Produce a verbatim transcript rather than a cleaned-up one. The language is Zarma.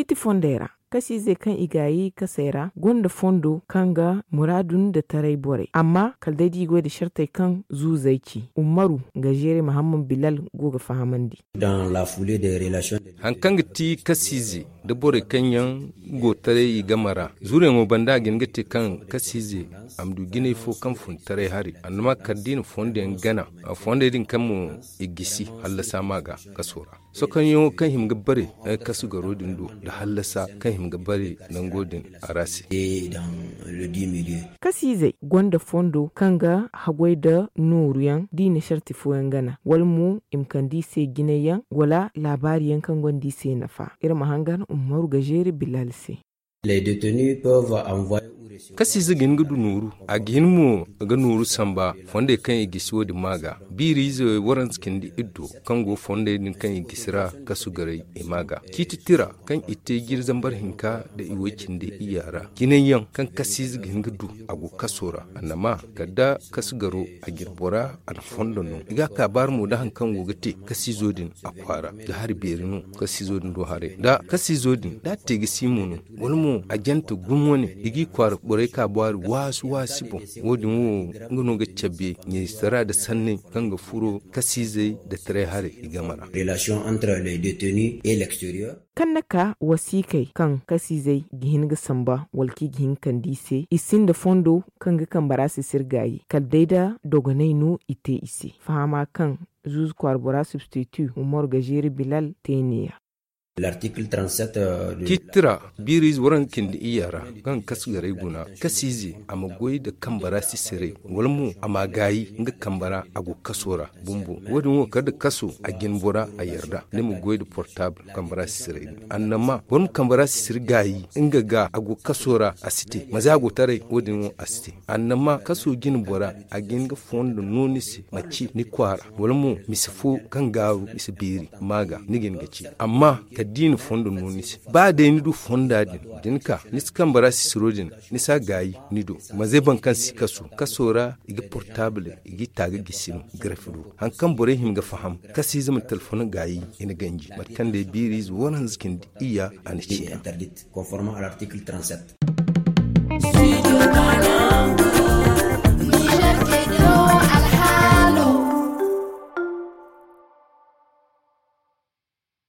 Ti fondey ra, kasiizey kaŋ i gaayi kasey ra gonda fondo kaŋ ga muraadu nda taray borey, amma kala day da i goy nda sartey kaŋ zuuzey ci. Ummaru ga zeere mahamman bilal go ga fahamandi. Hari kaŋ ga ti kasiize nda borey kaŋ yaŋ go taray i game ra, zuuruyaŋo banda a ga hin ga te kaŋ kasiize a ma du jinay fo kaŋ fun taray hari, annama kala da i na fondo yaŋ gana, fondey din kaŋ mo i gisi hallasa ma ga kaso ra. Sokonyaŋo kaŋ hima ga bare kasu garo din do nda hallasa kaŋ hima ga bare nango din a ra se. Kasiizey gonda fondo kaŋ ga haggoy nda nooru yaŋ da i na sarti fooyaŋ gana wala mo i ma kande i se jinay yaŋ wala laabaari yaŋ kaŋ gonda i se nafa. Iri ma hangan ummaru ga zeeri bilal se. Kasiize ga hin ga du nooru, a ga hin mo ga nooru samba fondey kaŋ i gisi wo- din ma ga. Biiriize waranza cindi iddo kaŋ go fondey din kaŋ i gisi ra kasu garay i ma ga. Ciiti tira kaŋ i te jiri zambar hinka nda i way cindi iyya ra jinay yaŋ kaŋ kasiize ga hin ga du, a go kaso ra. Annama kala da kasu garo a jine bora a na fondo no i ga a kaabaari mo nda hari kaŋ go ga te kasiizo din a kwaara. Ga hari beeri no kasiizo din do haray nda kasiizo din da a te ga si mo no, wala mo a jante gumo ne i g'i kwaara borey kaabaari waasu waasi boŋ. Wo- din wo nga no ga cabe ɲayistara nda sanney kaŋ ga furo kasiizey nda taray haray i game ra. Kaŋ na ka wasiikey kaŋ kasiizey ga hin ga samba wala kaŋ i ga hin ga kande i se i sinda fondo kaŋ ga kambe ra sisir gaayi kala day da dogonay no i te i se. Fahama kaŋ zuuzu kwaara bora substitu umar ga zeeri bilal te ne- ya. Ciiti tira biiriize waranza cindi iyya ra kaŋ ga kasu garay guna, kasiize a ma goy nda kambe ra sisiray wala mo a ma gaayi nga kambe ra a go kaso ra bumbo. Wo- din wo kala da kaso a jine bora a yarda ni ma goy nda portaabul kambe ra sisiray din. Annama boro ma kambe ra sisiri gaayi nga ga a go kaso ra a si te manze a go taray wo- din wo a si te. Annama kaso jine bora a ga hin ga fondo no ni se manci ni kwaara wala mo mise fo kaŋ gaaru mise beeri ma ga ni ga hin ga ci. Amma kala da i na fondo no ni se ba day ni du fonda din da ni ka ni si kambe ra sisiro din ni si a gaayi ni do. Manze boro kaŋ si kaso kaso ra i ga portaabul i g'i taaga gisi no. Garafi do hari kaŋ borey hima ga faham kasiize ma telefon gaayi i na ganji mate kaŋ day biiriize waranza cindi iyya a na ci. Conforme à l'article trente-sept.